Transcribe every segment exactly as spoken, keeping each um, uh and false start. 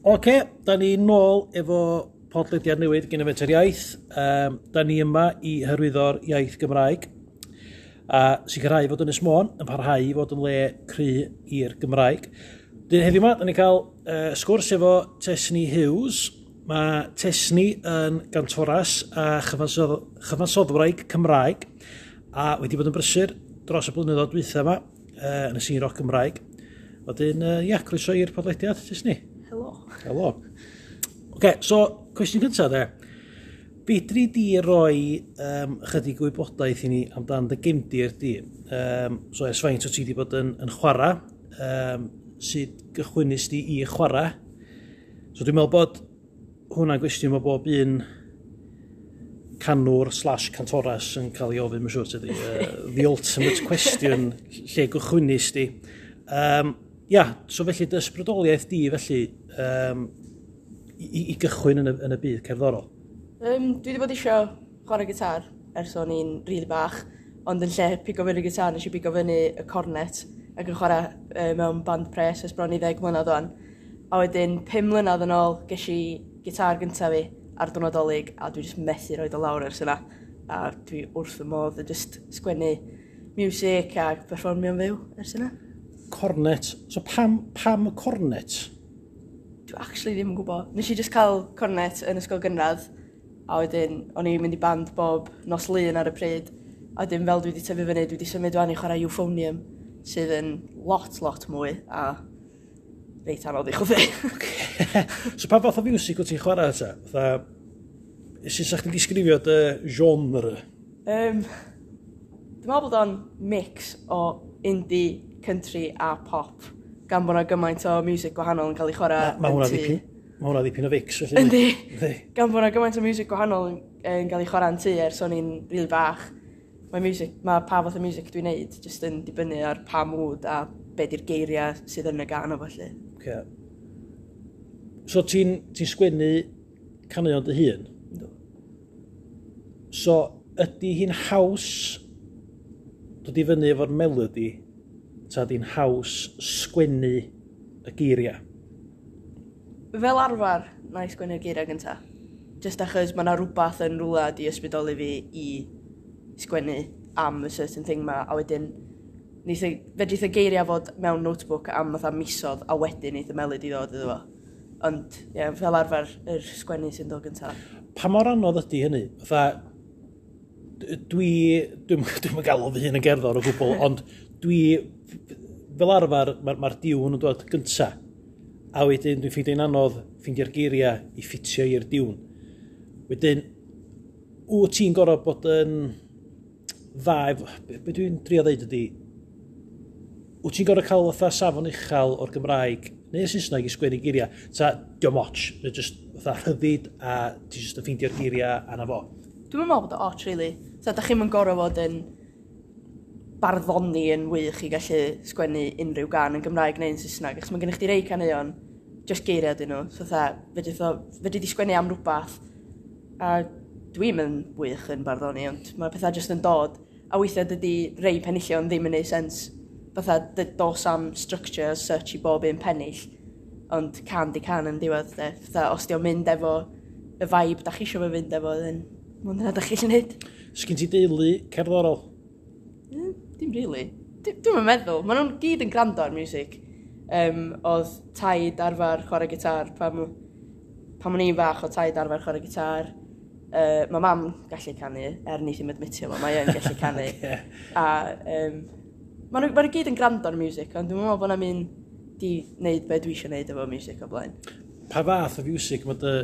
Oce, da ni nôl efo podlediad newydd gen y Fenter Iaith. Um, da ni yma i hyrwyddo'r iaith Gymraeg a sicrhau fod Ynys Môn yn parhau i fod yn le cry i'r Gymraeg. Dyn heddiw yma, da ni'n cael uh, sgwrs efo Tesni Hughes. Mae Tesni yn gantoras a chyfansodd, chyfansoddwraig Cymraeg a wedi bod yn brysur dros y blynyddoedd dwytha yma uh, yn y sîn roc Gymraeg. Wedyn, uh, ia, croeso i'r podlediad, Tesni. Helo. Helo. Oce, so, cwestiwn cyntaf de. Fedri di roi um, chydig wybodaeth i ni amdan dy gefndir di? Um, so, ers faint o ti wedi bod yn, yn chwarae? Um, sut gychwynnes di i chwarae? So, dwi'n meddwl bod hwnna'n gwestiwn mae bob un canwr slash cantoras yn cael ei ofyn, mae'n siŵr, tydi. Uh, the ultimate question, lle gychwynnes di. Um, ia, so felly dy ysbrydoliaeth di, felly, um, i, i gychwyn yn y, yn y byd cerddorol? Um, dwi wedi bod eisiau chwarae gitar ers o'n i'n rili really bach, ond yn lle pigo fyny gitar, nes i pigo fyny y cornet ac yn chwarae uh, mewn band pres ers bron i ddeg mlynedd o'n. A wedyn, pum mlynedd yn ôl, ges i gitar gyntaf fi ar diwrnod Dolig, a dwi jyst methu roid o lawr ers yna. A dwi wrth fy modd yn just sgwennu music a perfformio'n fyw ers yna. Cornet. So pam, pam y cornet? Dwi actually ddim yn gwybod. Nes i just cael cornet yn ysgol gynradd, a wedyn o'n i'n mynd i band bob nos Lun ar y pryd. A wedyn fel dwi wedi tyfu fyny, dwi wedi symud wan i chwarae euphonium, sydd yn lot, lot mwy, a reit anodd i chwthu. So pa fath o music wyt ti'n chwarae ta? Fatha, sut sa'ch chdi'n disgrifio dy genre? Um, dwi'n meddwl bod o'n mix o indie, country a pop, gan bod yna gymaint o music gwahanol yn cael ei chwarae Mae yn hwnna tŷ. ddipyn. Mae hwnna ddipyn o fix, felly. Yndi. Yndi. Gan bod yna gymaint o music gwahanol yn, yn cael ei chwarae yn tŷ ers o'n i'n rili bach. Mae music, mae pa fath o music dwi'n neud jyst yn dibynnu ar pa mood a be di'r geiriau sydd yn y gân o felly. Okay. So ti'n ti sgwennu caneuon dy hun? Yndw. So ydy hi'n haws dod i fyny efo'r melody ta ydy'n haws sgwennu y geiriau? Fel arfer, na i sgwennu'r geiriau gynta. Just achos mae yna rhywbeth yn rhywle di ysbrydoli fi i sgwennu am y certain thing ma, a wedyn neith y, fedrith y geiriau fod mewn notebook am fatha misodd, a wedyn neith y melody ddod iddo fo. Ond, ie, yeah, fel arfer, yr sgwennu sy'n dod gynta. Pa mor anodd ydy hynny? Fatha, d- dwi, dwi'n dwi'n galw fy hun yn gerddor o gwbl, ond dwi, fel arfer, mae'r ma diwn yn dod gynta. A wedyn dwi'n ffeindio'n anodd ffeindio'r geiriau i ffitio i'r diwn. Wedyn, wyt ti'n gorfod bod yn dda, efo- be, be dwi'n drio ddeud ydy, wyt ti'n gorfod cael fatha safon uchel o'r Gymraeg neu Saesneg i sgwennu geiriau, ta dio'm ots, neu just fatha rhyddid a ti just yn ffeindio'r geiriau a na fo? Dwi'n meddwl bod o ots, really. So, da chi'm yn gorfod fod yn barddoni yn wych i gallu sgwennu unrhyw gân yn Gymraeg neu'n Saesneg, achos mae gennych chdi rei caneuon, just geiriau dyn nhw. So, fatha, fedri o- fedri di sgwennu am rhywbeth, a dwi'm yn wych yn barddoni, ond mae pethau just yn dod. A weithiau dydy rei penillion ddim yn neud sens. Fatha, dy- dos am structure as such i bob un pennill, ond cân di cân yn diwedd, de. Fatha, os di o'n mynd efo y vibe da chi isio fo fynd efo, then mond yna da chi eisiau neud. Sgyn ti deulu cerddorol? Mm, dim really. Dwi- Dwi'm yn meddwl. Maen nhw'n gyd yn gwrando ar music. Um, oedd taid arfer chwarae gitar pan, pan o'n i'n fach, oedd taid arfer chwarae gitar. Uh, mae mam gallu canu, er ni ddim admitio fo, mae yn gallu canu. Ocê. A um, maen nhw, ma nhw gyd yn gwrando ar music, ond dwi'n meddwl bod 'na'm un di wneud be dwi eisiau gwneud efo music o blaen. Pa fath o music mae dy,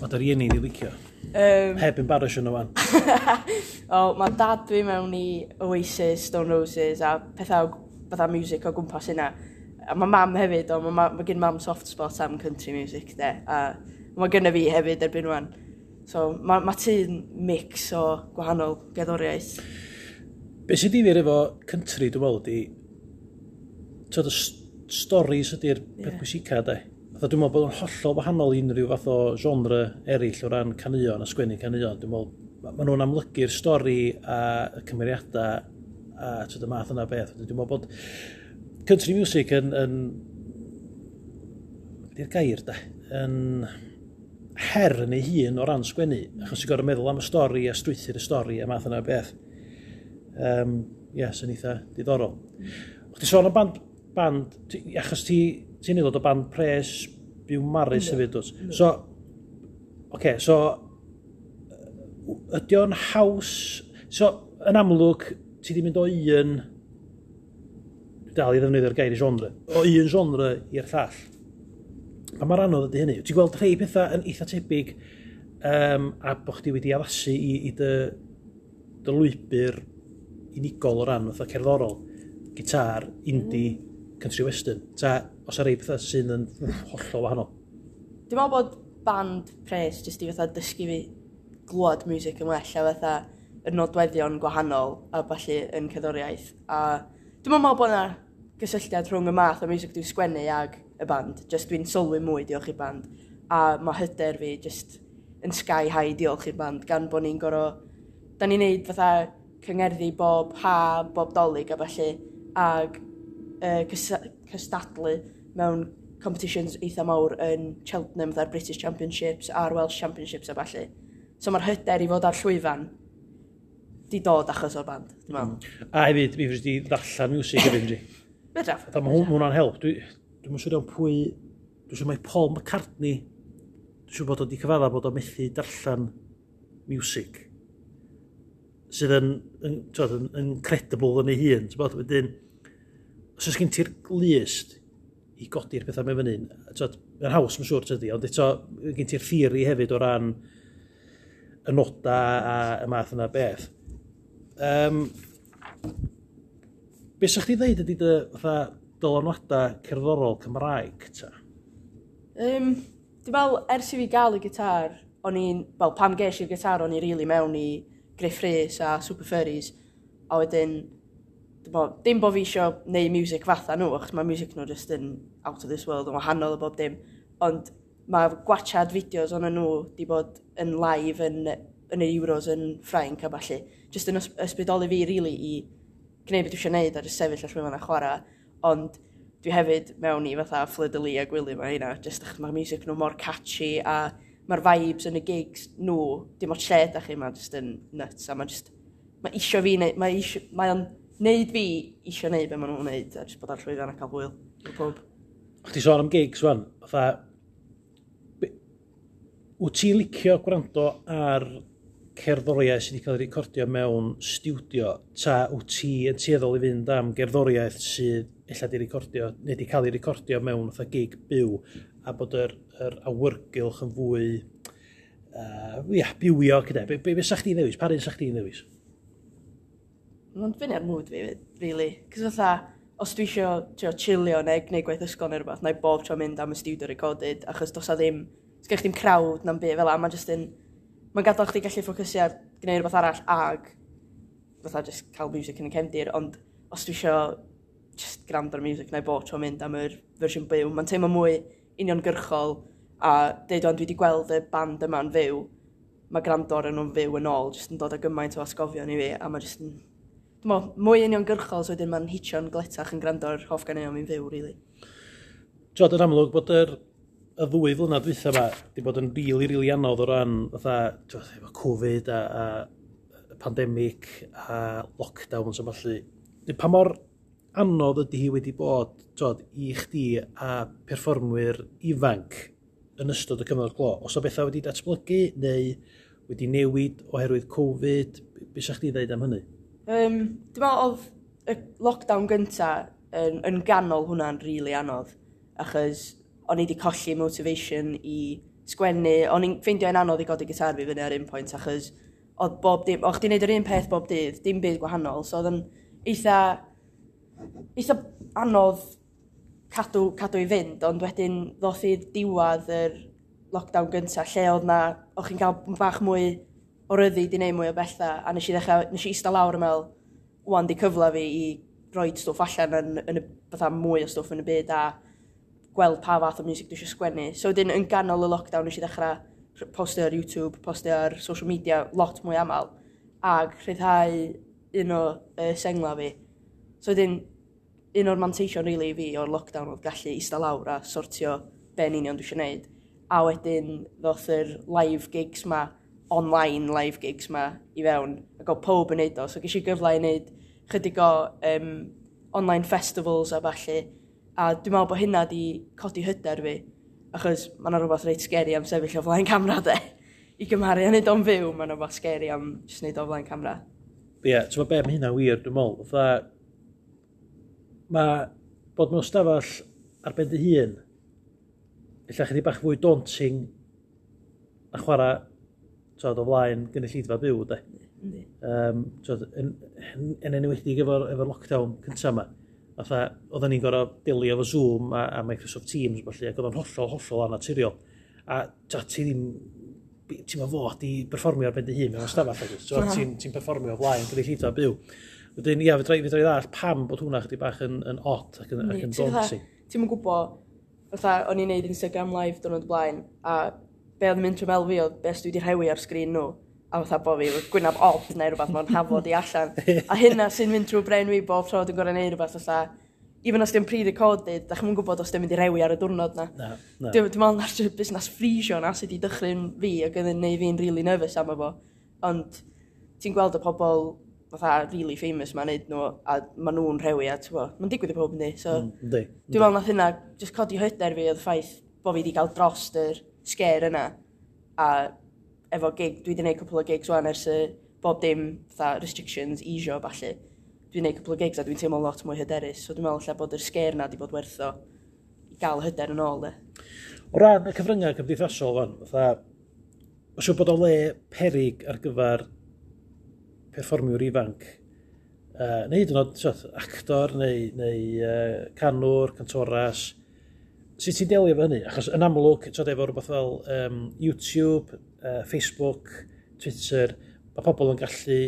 ma dy rieni di licio? Um, Heb embarrassio nhw wan. O, mae dad dwi mewn i Oasis, Stone Roses a pethau o- fatha music o gwmpas hynna. A mae mam hefyd, o, mae, ma, ma gen mam soft spot am country music, de. A mae gynna fi hefyd erbyn wan. So, mae ma tŷ'n mix o gwahanol gerddoriaeth. Be sy'n difyr efo country, dwi'n meddwl, ydy, tyd, y s- stories ydy'r peth Ie. pwysica, de. Fatha, dwi'n meddwl bod o'n hollol wahanol i unrhyw fath o genre eraill o ran caneuon a sgwennu caneuon. Dwi'n meddwl, ma ma nhw'n amlygu'r stori a y cymeriadau a tyd, y math yna beth. Dwi'n meddwl bod country music yn, yn Di'r gair da, yn her yn ei hun o ran sgwennu, achos ti'n gorfod meddwl am y stori a strwythur y stori a math yna o beth. Um, Ie, yeah, sy'n eitha diddorol. O'ch ti sôn am band, band ti, achos ti, ti'n aelod o band pres Biwmaris hefyd, dwyt? So, oce, okay, so, ydy o'n haws, so, yn amlwg, ti di mynd o un, dwi dal i ddefnyddio'r gair i genre, o un genre i'r llall. Pa mor anodd ydy hynny? Ti'n gweld rhai pethau yn eitha tebyg um, a bod chdi wedi addasu i, i dy, dy lwybr unigol o ran fatha cerddorol, gitar, indie, country western. Ta, os ar rhai pethau sydd yn wff, hollol wahanol? Dwi'n meddwl bod band pres jyst i fatha dysgu fi glwad music yn well a fatha y nodweddion gwahanol a ballu yn cerddoriaeth. A dwi'n meddwl bod yna gysylltiad rhwng y math o music dwi'n sgwennu ag y band. Just dwi'n sylwi mwy diolch i'r band. A mae hyder fi just yn sky high diolch i'r band gan bod ni'n gorfod. Da ni'n neud fatha cyngerddi bob ha, bob Dolig a ballu ag uh, cystadlu mewn competitions eitha mawr yn Cheltenham, fatha'r British Championships a'r Welsh Championships a ballu. So mae'r hyder i fod ar llwyfan di dod achos o'r band, dwi'n meddwl. A hefyd, mi fedri di ddarllen music hefyd, fedri. Fedraf. Fatha, mae hwn- ma' hwnna'n help. Dwi, dwi'n siŵr iawn pwy. Dwi'n siŵr mai Paul McCartney, dwi'n siŵr bod o wedi cyfadda bod o methu darllen music. Sydd yn, yn, t'wod, yn, incredible yn ei hun. T'bod, wedyn, os oes gen ti'r glust i godi'r pethau mewn fyny, t'wod, mae'n haws, mae'n siŵr, tydi, ond eto, gen ti'r theori hefyd o ran y noda a y math yna beth. Um, be sa'ch chi ddeud ydy dy fatha dylanwadau cerddorol Cymraeg, ta? Um, dwi'n meddwl, ers i fi gael y gitar, o'n i'n, wel, pam ges i'r gitar, o'n i really mewn i Gruff Rhys a Super Furries, a wedyn, dwi'n meddwl, dim bo fi isio neud music fatha nhw, achos mae music nhw just yn out of this world, yn wahanol o bob dim, ond mae gwachad fideos o'n nhw di bod yn live yn, yn y Euros yn Ffrainc a ballu, just yn ys- ysbrydoli fi, really, i gwneud beth dwi eisiau neud a just sefyll ar llwyfan a chwarae, ond dwi hefyd mewn i fatha Fleur de Lis a Gwilym a hynna, just achos mae'r music nhw mor catchy a mae'r vibes yn y gigs nhw, dim ots lle da chi, mae'n just yn nuts a mae just, mae isio fi, neud, mae isio, mae o'n neud fi isio neud be maen nhw'n neud a just bod ar llwyfan a cael hwyl efo pob. Chdi sôn am gigs wan, fatha, be- wyt ti'n licio gwrando ar cerddoriaeth sydd wedi cael ei recordio mewn stiwdio, ta wyt ti yn tueddol i fynd am gerddoriaeth sydd ella di recordio, neu di cael ei recordio mewn fatha gig byw, a bod yr, yr awyrgylch yn fwy uh, ia, bywiog gyda. Be, be, be sa chdi'n ddewis? Pa un sa chdi'n ddewis? Mae'n dibynnu ar mood fi, really. Cos fatha, os dwi isio trio chillio neu gwneud gwaith ysgol neu rhywbeth, na i bob tro mynd am y studio recorded, achos does 'a ddim, sgynnych chdi'm crowd na'n byd fel 'a, mae'n just yn, mae'n gadael chdi gallu ffocysu ar gwneud rhywbeth arall ag fatha just cael music yn y cefndir, ond os dwi isio just gwrando ar music, na i bob tro mynd am yr fersiwn byw. Mae'n teimlo mwy uniongyrchol a deud o'n dwi wedi gweld y band yma'n fyw, mae gwrando ar nhw'n fyw yn ôl, just yn dod â gymaint o atgofion i fi, a mae just yn, dwi'n meddwl, mwy uniongyrchol, so wedyn mae'n hitio'n gletach yn gwrando ar hoff ganeuon fi'n fyw, really. Ti'od, yn amlwg bod yr, y ddwy flynedd dwytha yma di bod yn rili, rili anodd o ran fatha, t'wod, efo Covid a, a pandemic a lockdowns a ballu. Pa mor anodd ydy hi wedi bod, t'wod, i chdi a perfformwyr ifanc yn ystod y cyfnod clo? Os o bethau wedi datblygu neu wedi newid oherwydd Covid, be sa chdi ddeud am hynny? Um, dwi'n meddwl oedd y lockdown gynta yn, yn ganol hwnna'n rili really anodd, achos o'n i wedi colli motivation i sgwennu, o'n i'n ffeindio yn anodd i godi gitar fi fyny ar un pwynt, achos oedd bob dim, o'ch chdi'n neud yr un peth bob dydd, dim byd gwahanol, so oedd yn eitha, eitha anodd cadw, cadw i fynd, ond wedyn ddoth i diwedd yr lockdown gynta, lle oedd na, o'ch chi'n cael bach mwy o ryddid i wneud mwy o bethau, a nes i ddechrau, nes i eistedd lawr yn meddwl, wan di cyfle fi i roi stwff allan yn, yn y, fatha mwy o stwff yn y byd a gweld pa fath o music dwi eisiau sgwennu. So wedyn yn ganol y lockdown nes i ddechrau postio ar YouTube, postio ar social media lot mwy aml, ag rhyddhau un o uh, sengla fi. So wedyn, un o'r manteision really i fi o'r lockdown oedd gallu eistedd lawr a sortio be be yn union dwi eisiau gwneud. A wedyn ddoth yr live gigs ma, online live gigs ma i fewn, ac oedd pob yn neud o. So ges i gyfle i wneud chydig o um, online festivals a ballu. A dwi'n meddwl bod hynna di codi hyder fi, achos mae yna rhywbeth reit scary am sefyll o flaen camera de. I gymharu a neud o'n fyw, mae yna rhywbeth scary am jyst neud o flaen camera. Ie, yeah, ti'n be, mae hynna'n wir, dwi'n meddwl. Fatha, mae bod mewn stafell ar ben dy hun, ella chydig bach fwy daunting na chwarae t'od, o flaen gynulleidfa byw, de. Yndi. Um, t'od, yn, yn, yn enwedig efo'r efo lockdown cyntaf yma. Fatha, oedden ni'n gorfod delio efo Zoom a, a Microsoft Teams, felly, ac oedd o'n hollol, hollol anaturiol. A t'od, ti ddim, ti'n fod i berfformio ar ben dy hun mewn stafell, ag wyt? Ti'n ti perfformio o flaen gynulleidfa byw. Wedyn, ia, fedra i fedra i ddallt pam bod hwnna chydig bach yn, yn odd ac yn, ac yn Ti'n fatha- daunting. Ti'm yn gwybod, fatha, o'n i'n neud Instagram live diwrnod o blaen, a be oedd yn mynd trwy meddwl fi oedd be os dwi wedi rhewi ar sgrin nhw, a fatha bo fi efo gwynab od neu rhywbeth mae'n hafod i allan. A hynna sy'n mynd trwy brain fi bob tro dwi'n gorfod neud rhywbeth fatha, even os dim pre-recorded, da chi'm yn gwybod os dim mynd i rewi ar y diwrnod na. Na, na. Dwi'n dwi meddwl na'r busnes freezio na sydd wedi dychryn fi ac oedd yn neud fi'n really nervous am efo. Ond ti'n gweld y pobl fatha really famous ma'n neud nhw a ma nhw'n rhewi a ti'n gwbod, mae'n digwydd i pob yndi. So Mm, Yndi. dwi'n meddwl nath hynna just codi hyder fi oedd y ffaith bo fi wedi cael drost yr scare yna. A efo gig, dwi wedi gwneud cwpl o gigs wan ers y bob dim fatha restrictions easio ballu. Dwi'n gwneud cwpl o gigs a dwi'n teimlo lot mwy hyderus. So dwi'n meddwl ella bod yr scare na wedi bod werth o i gael hyder yn ôl de. O ran y cyfryngau cymdeithasol fan, fatha, os yw bod o le perig ar gyfer perfformiwr ifanc, uh, neu hyd yn oed t'od, actor neu, neu uh, canwr, cantoras, sut ti'n delio efo hynny? Achos yn amlwg, t'od, efo rhywbeth fel um, YouTube, uh, Facebook, Twitter, mae pobl yn gallu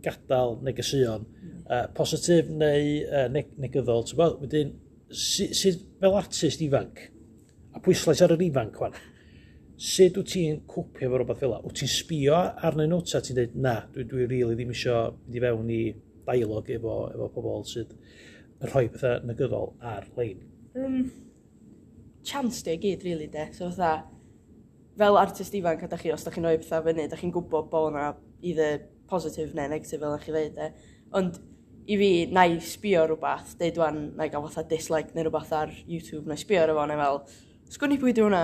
gadael negeseuon, uh, positif neu uh, neg negyddol, ti'n gwbod? Wedyn, sut, sut fel artist ifanc, a pwyslais ar yr ifanc wan, sut wyt ti'n cwpio efo rhywbeth fel 'na? Wyt ti'n sbio arnyn nhw, ta ti'n dweud, na, dwi, dwi really ddim isio mynd i fewn i dialog efo, efo pobl sydd yn rhoi pethau negyddol ar-lein? Um, chance di o gyd, really, de. So fatha, fel artist ifanc, a da chi, os da chi'n rhoi pethau fyny, da chi'n gwybod bod yna either positive neu negative, fel chi ddeud, de. Ond i fi, na i sbio rhywbeth, deud wan, na i gael fatha dislike neu rhywbeth ar YouTube, na i sbio ar efo, neu fel, sgwn i pwy di hwnna?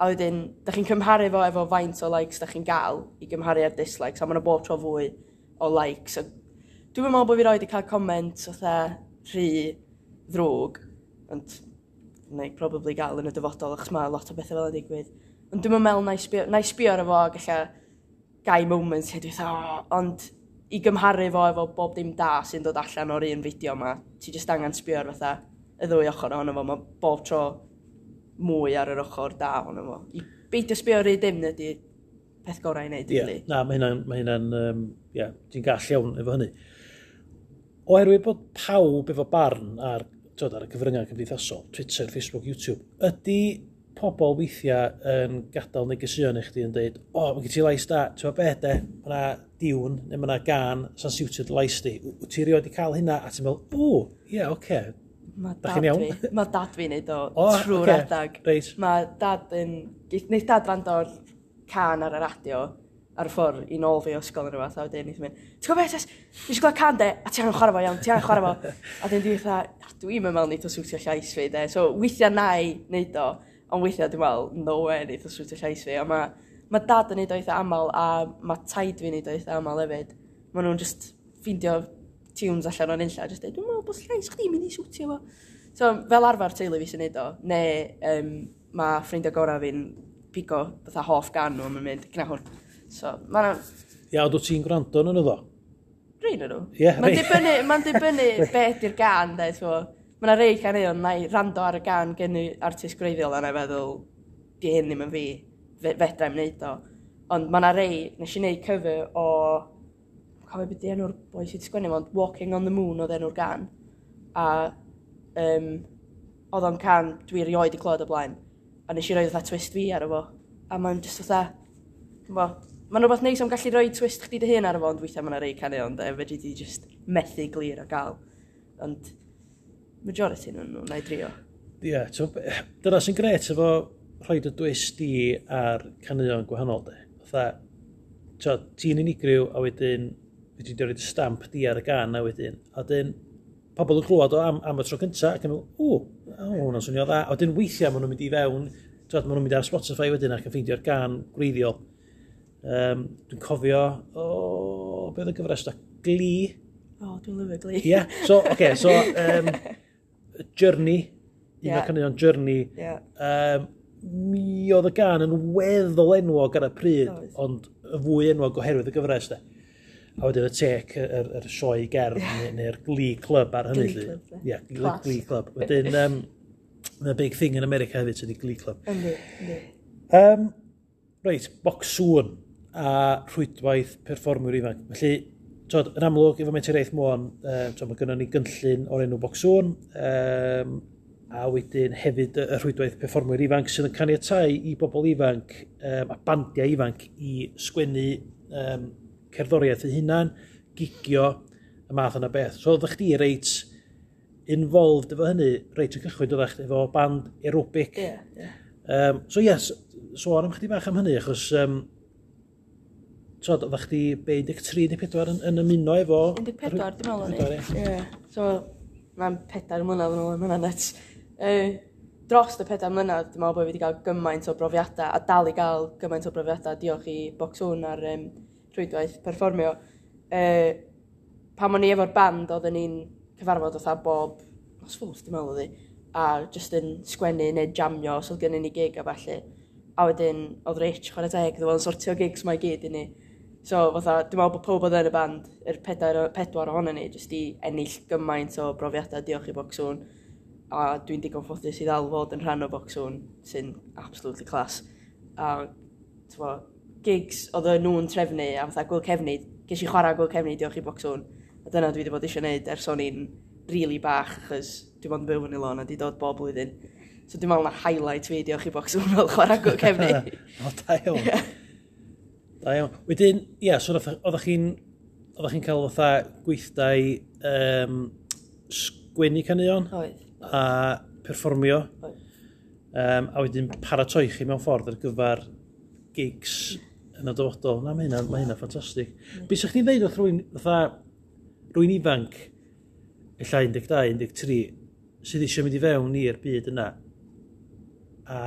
A wedyn, da chi'n cymharu fo efo faint o likes da chi'n gael i gymharu ar dislikes, a ma'na bob tro fwy o likes. So, dwi'n meddwl bod fi roed i cael comment fatha rhy ddrwg, ond neu probably gael yn y dyfodol, achos mae lot o bethau fel yn digwydd. Ond dwi'n meddwl na i sbio, na i sbio ar efo ac ella gai moments lle dwi'n fatha, oh, ond i gymharu fo efo bob dim da sy'n dod allan o'r un fideo yma, ti jyst angen sbio ar fatha y ddwy ochr ohono fo, mae bob tro mwy ar yr ochr da ohono fo. I beidio sbio ar un dim ydy'r peth gorau i wneud, Ie, really. na, mae hynna'n, mae hynna'n, um, ie, ti'n gall iawn efo hynny. Oherwydd bod pawb efo barn ar, t'od, ar y cyfryngau cymdeithasol, Twitter, Facebook, YouTube, ydy pobl weithiau yn gadael negeseuon i chdi yn dweud, o, oh, mae gen ti lais da, ti'n gwybod be de, mae yna diwn, neu mae yna gân sy'n siwtio dy lais di. Wyt ti erioed wedi cael hynna, a ti'n meddwl, o, ie, yeah, oce. Okay. Mae Da dad chi'n iawn? fi, mae dad fi'n neud o O, trwy'r ocê, adag. Reit. Mae dad yn... Neith dad rando ar can ar y radio ar y ffordd i nôl fi o ysgol yn rhywbeth, a wedyn neith mynd, ti'n gwybod beth, Tess? Fi eisiau gweld can de, a ti angen chwarae fo iawn, ti angen chwarae fo. A wedyn dwi'n fatha, dwi'n meddwl neith o siwtio llais fi, de. So weithiau na i neud o, ond weithiau dwi'n meddwl, no way neith o siwtio llais fi. A mae ma dad yn neud o eitha aml, a mae taid fi'n neud o eitha aml hefyd. Maen nhw'n just ffeindio tunes allan o'n unlla, just deud, dwi'n meddwl bod llais chdi'n mynd i siwtio fo. So, fel arfer teulu fi sy'n neud o, neu um, mae ffrindiau gorau fi'n pigo fatha hoff gan nhw, a mae'n mynd, gna hwn. So, mae'n Ia, ond wyt ti'n gwrando yn nhw ddo? rhain nhw. Ie, Mae'n rei. dibynnu, mae'n dibynnu be ydy'r gan, de, so, Mae yna rei caneuon, na i rando ar y gan gen i artist gwreiddiol a na i feddwl, di hyn ddim yn fi, fe, fedra i'm wneud o. Ond mae yna rei, nes i wneud cover o, cofio beth di enw'r boi sydd wedi sgwennu, ond Walking on the Moon oedd enw'r gan. A um, oedd o'n can dwi erioed i clywed o blaen. A nes i roi fatha twist fi ar efo. A mae'n just fatha, bo, mae'n rhywbeth neis am gallu rhoi twist chdi dy hun ar efo, ond weithiau mae yna rei caneuon, de, fedri di just methu glir o gael. Ond majority nhw'n nhw, na i drio. Ie, yeah, dyna sy'n gret efo rhoi dy twist di ar caneuon gwahanol, de. Fatha, ti'n unigryw, a wedyn, fedri di rhoi dy stamp di ar y gân, a wedyn, a wedyn, pobl yn clywed o am, am y tro cynta, ac yn meddwl, "O, o, hwnna'n swnio dda." A wedyn weithiau maen nhw'n mynd i fewn, twod, maen nhw'n mynd ar Spotify wedyn ac yn ffeindio'r gân gwreiddiol. Um, dwi'n cofio, o, beth oedd y gyfres da? Glee. O, oh, dwi'n lyfio Glee. Ie, yeah. So, oce, okay, so, um, Journey, un yeah. o'r caneuon Journey, yeah. um, mi oedd y gân yn weddol enwog ar y pryd, Oedd. ond y fwy enwog oherwydd y gyfres, de. A wedyn y tec, yr, yr sioe gerdd, neu, neu'r Glee Club ar hynny. Glee lly. Club, Ie, Glee, Class. Glee Club. Wedyn, um, mae'n big thing yn America hefyd, sydd Glee Club. Yndi, yndi. Um, reit, Bocsŵn a rhwydwaith perfformwyr ifanc. Felly, twod, yn amlwg, efo Menter Iaith Môn, um, twod, mae gynnon ni gynllun o'r enw Bocsŵn, um, a wedyn hefyd y y rhwydwaith perfformwyr ifanc sydd yn caniatáu i bobl ifanc um, a bandiau ifanc i sgwennu um, cerddoriaeth eu hunan, gigio, y math yna beth. So oeddech chdi reit involved efo hynny, reit o cychwyn oeddech chdi efo band aerobic. Ie, ie. Um, so yes, sôn am chdi bach am hynny, achos um, twod, oeddech chdi be, un deg tri neu pedwar yn, yn ymuno efo un deg pedwar, dwi'n meddwl o'n un deg pedwar, i. Ie. So, mae'n pedair mlynedd yn ôl, mae'n nuts. Uh, dros y pedair mlynedd, dwi'n meddwl bod fi wedi cael gymaint o brofiadau, a dal i gael gymaint o brofiadau, diolch i Bocsŵn a'r um, rhwydwaith perfformio. Uh, pan o'n i efo'r band, oedden ni'n cyfarfod fatha bob nos Fawrth, dwi'n meddwl oedd hi, a just yn sgwennu neu jamio os oedd gennyn ni gig a ballu. A wedyn, oedd Rich, chwarae teg, oedd o'n sortio gigs mae i gyd i ni. So, fatha, dwi'n meddwl bod pob oedd yn y band, yr pedair, pedwar ohono ni, jyst i ennill gymaint o brofiadau diolch i Bocsŵn. A dwi'n digon ffodus i ddal fod yn rhan o Bocsŵn, sy'n absolutely class. A, t'mo, gigs oedd nhw'n trefnu, a fatha Gwyl Cefni, ges i chwarae Gwyl Cefni diolch i Bocsŵn. A dyna dwi wedi bod eisiau gwneud ers o'n i'n really bach, achos dwi bod yn byw yn y lôn a di dod bob blwyddyn. So dwi'n meddwl na highlight fi diolch i Bocsŵn fel chwarae Gwyl Cefni. O, da iawn. Da iawn. Wedyn, ie, so oeddech oeddech chi'n oeddech chi'n cael fatha gweithdai um, sgwennu caneuon Oedd. a perfformio Oedd. um, a wedyn paratoi chi mewn ffordd ar gyfer gigs yn y dyfodol. Na, mae hynna, mae hynna ffantastig. Be sa'ch chi'n dweud wrth rywun, fatha, rywun ifanc, ella un deg dau, un deg tri, sydd eisiau mynd i fewn i'r byd yna a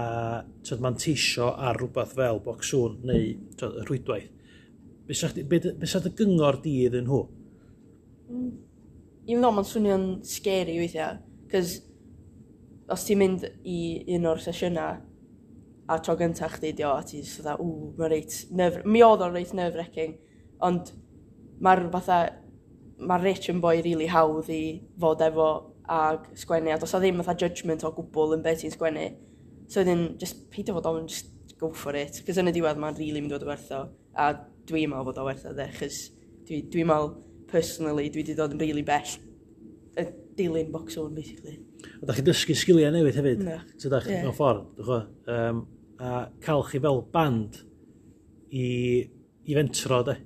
twod, manteisio ar rhywbeth fel Bocsŵn neu twod, y rhwydwaith? Be sa chdi- be be sa dy gyngor di iddyn nhw? Even though mae'n swnio'n scary weithiau, cos os ti'n mynd i un o'r sesiynau a tro gyntaf chdi di o, a ti'n just fatha, "Ww, mae'n reit nerve." Mi oedd o'n reit nerve-wracking, ond mae'r fatha, mae'r Rich yn boi really hawdd i fod efo ag sgwennu, a does o ddim fatha judgment o gwbl yn beth ti'n sgwennu. So wedyn, just peidio fod ofn, just go for it. Cos yn y diwedd mae'n really mynd i fod o werth o. A dwi'n meddwl bod o werth o, de, chos dwi'n dwi meddwl, personally, dwi wedi dod yn really bell y dilyn Bocsŵn, basically. A da chi'n dysgu sgiliau newydd hefyd. Na. So da chi Ie. mewn ffordd, dych chi? Um, a cael chi fel band i, i fentro, de.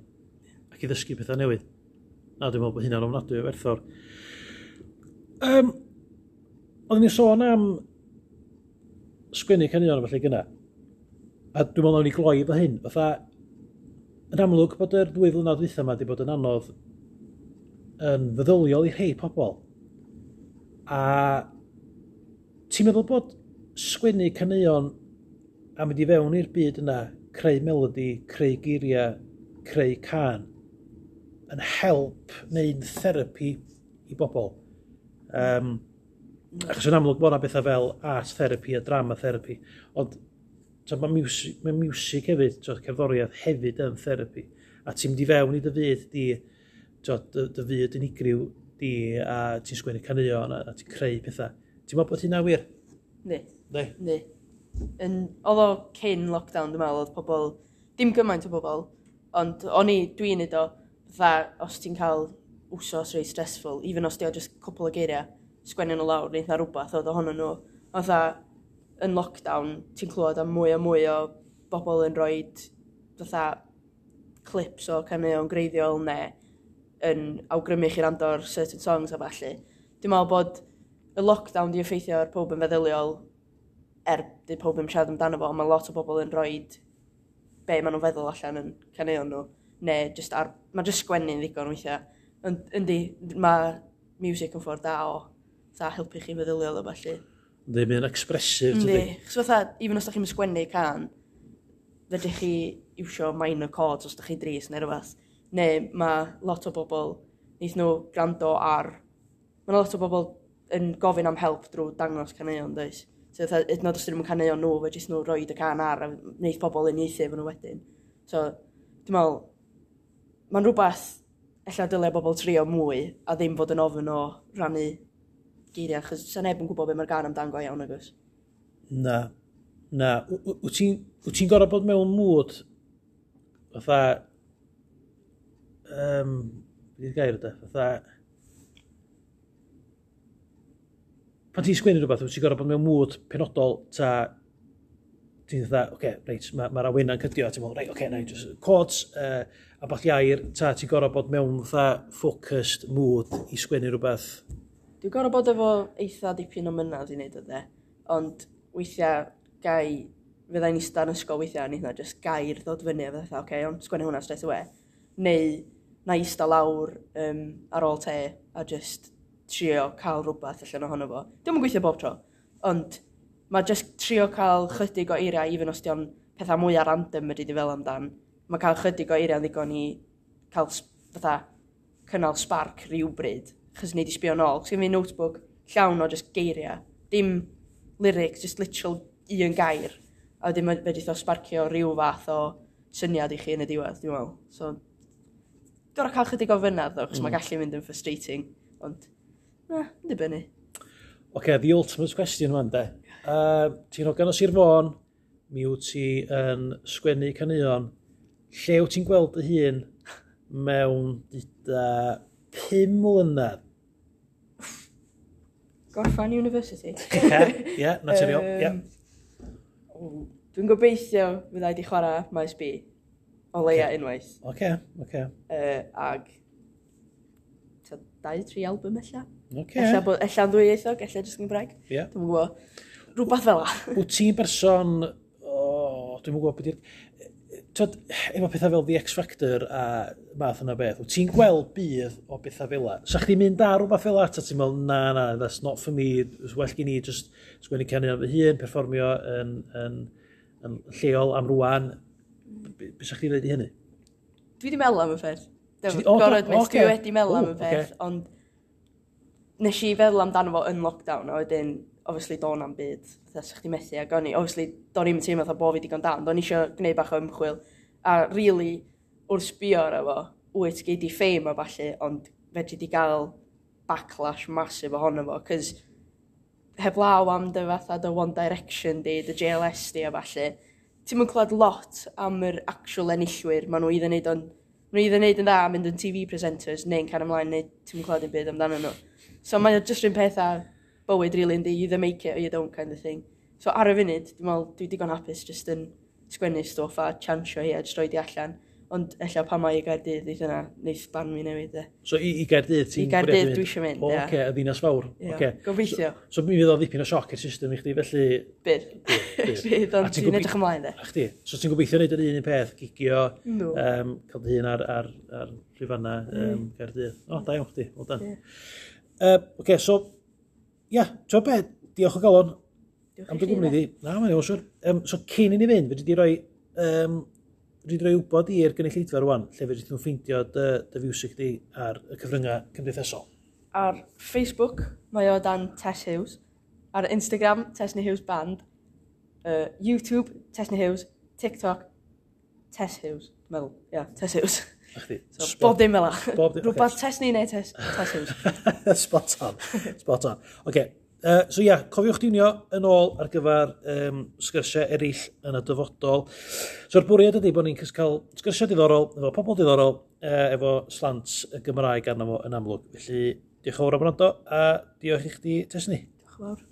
Ac i ddysgu pethau newydd. Na, dwi'n meddwl bod hynna'n ofnadwy o werthfawr. Um, oedden ni'n sôn am sgwennu caneuon a felly gynna. A dwi'n meddwl nawn ni gloi efo hyn. Fatha, yn amlwg bod yr ddwy flynedd dwytha yma wedi bod yn anodd yn feddyliol i rhai pobl. A ti'n meddwl bod sgwennu caneuon a mynd i fewn i'r byd yna, creu melody, creu geiriau, creu cân, yn help neu'n therapi i bobl? Um, achos yn amlwg bod yna bethau fel art therapy a drama therapy, ond so, mae music, mae music hefyd, so, cerddoriaeth hefyd yn therapi. A ti'n mynd i fewn i dy fyd di, so, dy, dy fyd unigryw di, a ti'n sgwennu caneuon a, a ti'n creu pethau. Ti'n meddwl bod hynna wir? Ne, Ne. ne. Yn, oedd o cyn lockdown, dwi'n meddwl, oedd pobl, dim gymaint o bobl, ond o'n i, dwi'n neud o, fatha, os ti'n cael wsos reit stressful, even os di o just cwpl o geiriau, sgwennu nhw lawr, neu rhywbeth oedd ohonyn nhw. Fatha, yn lockdown, ti'n clywed am mwy a mwy o bobl yn rhoi fatha clips o caneuon greiddiol neu yn awgrymu chi rando ar certain songs a ballu. Dwi'n meddwl bod y lockdown di effeithio ar pob yn feddyliol er di pob ddim siarad amdano fo, ond mae lot o bobl yn rhoi be maen nhw'n feddwl allan yn caneuon nhw, neu just ar, mae just sgwennu'n ddigon weithiau. Ond yndi, mae music yn ffordd da o fatha helpu chi feddyliol o ballu. Yndi, mae'n expressive, Yndi, tydi? chos fatha, even os da chi'n sgwennu can, fedrwch chi iwsio minor chords os da chi dris neu rhywbeth. Neu mae lot o bobl, neith nhw gwrando ar... Mae lot o bobl yn gofyn am help drwy dangos caneuon, does? So, fatha, hyd yn oed os dyn nhw'n caneuon nhw, fedrith nhw roid y can ar a wneith pobl uniaethu efo nhw wedyn. So, dwi'n meddwl, mae'n rhywbeth ella dylai bobl trio mwy a ddim fod yn ofyn o rannu geiriau, achos sa neb yn gwybod be mae'r gan amdan go iawn, agos. Na, na. W- w- Wyt ti'n wyt ti'n gorfod bod mewn mood fatha, um, beth yw'r gair ydy? Fatha, pan ti'n sgwennu rhywbeth, wyt ti'n gorfod bod mewn mood penodol, ta ti'n fatha, oce, okay, reit, mae'r ma awena'n cydio, a ti'n meddwl, reit, oce, okay, na i just chords, uh, a bach iair, ta ti'n gorfod bod mewn fatha focused mood i sgwennu rhywbeth. Dwi'n gorfod bod efo eitha dipyn o mynadd i wneud o de, ond weithiau gai, fyddai'n eistedd yn ysgol weithiau, a neith na just gair ddod fyny a fatha, oce, okay, ond sgwennu hwnna straight away. Neu na eistedd lawr um, ar ôl te a just trio cael rhywbeth allan ohono fo. Dwi'm yn gweithio bob tro, ond mae just trio cael chydig o eiriau, even os di o'n pethau mwy ar random ydy di fel amdan, mae cael chydig o eiriau yn ddigon i cael s- fatha cynnal spark rhywbryd, chos nei di sbio nôl. Chos gen fi notebook llawn o just geiriau, dim lyrics, just literal un gair. A wedyn mae fedrith o sparcio rhyw fath o syniad i chi yn y diwedd, dwi'n meddwl. So, gorau cael chydig o fynadd, ddo, chos mm. mae gallu mynd yn frustrating. Ond, na, yn dibynnu. Oce, okay, the ultimate question wan, de. Uh, ti'n hogan o Sir Fôn, mi wyt ti yn sgwennu caneuon. Lle wyt ti'n gweld dy hun mewn dyda pum mlynedd? Gorffan University. Ie, ie, naturiol, ie. Yym, Dwi'n gobeithio fydda i di chwarae Maes B. O leia Ocê. unwaith. Oce, oce, Uh, ag ta, dau, tri album ella. oce. Ella, bod, ella'n ddwyieithog, ella jyst yn Gymraeg. Ie. Dwi'm yn gwybod. Rhywbeth fel 'a. Wyt ti'n berson, o, dwi'm yn gwybod beth yw'r... Twyd, efo pethau fel The X Factor a math yna beth, wyt ti'n gweld budd o bethau fel 'a? Sa chdi'n mynd ar rhywbeth fel 'a, ta ti'n meddwl, na, na, that's not for me, it's well gen i just sgwennu caneuon fy hun, perfformio yn, yn, yn lleol am rwan. Be be sa chdi'n dweud i hynny? Dwi wedi meddwl am y peth. Ti 'di- o, do, Gorod admit, ocê. dwi wedi meddwl am O, y peth, ocê. ond nes i feddwl amdano fo yn lockdown, a wedyn, obviously, do'n am byd, fatha, sa chdi methu, ac o'n i, obviously, do'n i'm yn teimlo fatha bo fi digon da, ond o'n i eisiau gwneud bach o ymchwil, a really, wrth sbio ar efo, wyt, gei di fame a ballu, ond fedri di gael backlash massive ohono fo, cos heblaw am dy fatha dy One Direction di, dy J L S di a ballu, ti'm yn clywed lot am yr actual enillwyr, maen nhw either neud o'n, maen nhw either neud yn dda a mynd yn T V presenters, neu'n cael ymlaen, neu ti'm yn clywed dim byd amdano nhw. So mae o jyst rhywun peth a bywyd, really, yndi, you either make it or you don't kind of thing. So ar y funud, dwi'n meddwl, dwi digon hapus jyst yn sgwennu stwff a chansio hi a jyst roid i allan. Ond ella pan mae i Gaerdydd, neith yna, neith barn fi newid, e. So i, i Gaerdydd ti'n I Gaerdydd bwriadu mynd? dwi isio mynd, O, ie. Oce, y ddinas fawr. Ie, Oce. gobeithio. So, so mi fydd o ddipyn o sioc i'r system i chdi, felly... Bydd. Bydd. Bydd, A ond ti'n dwi'n gobe- edrych ymlaen, de. A chdi? So ti'n gobeithio wneud yr un un peth, gigio, Yndw. um, cael dy hun ar, ar, ar llwyfanna um, Gaerdydd. O, da iawn chdi, well done. Ie. Uh, Oce, so, ia, ti'n be, diolch o galon Diolch am i dy chi, gwmni de. di. Na, mae'n iawn, siwr. Um, so cyn i ni fynd, fedri di roi, um, fedri di roi wybod i'r gynulleidfa rwan, lle fedri nhw ffeindio dy, dy fiwsig di ar y cyfryngau cymdeithasol. Ar Facebook, mae o dan Tess Hughes. Ar Instagram, Tesni Hughes Band. Uh, YouTube, Tesni Hughes. TikTok, Tess Hughes. Dwi'n meddwl, ie, yeah, Tess Hughes. A chdi? So, Spot- bob dim fel 'a. Bob dim, ocê. Rhywbeth Tesni neu Tess, Tess Hughes. Spot on. Spot on. Oce. Uh, so ia, cofiwch diwnio yn ôl ar gyfer um, sgyrsiau eraill yn y dyfodol. So'r bwriad ydy bod ni'n cael sgyrsiau diddorol, efo pobl diddorol, uh, efo slant y Gymraeg arno fo yn amlwg. Felly, diolch yn fawr am wrando, a diolch i chdi, Tesni. Diolch yn fawr.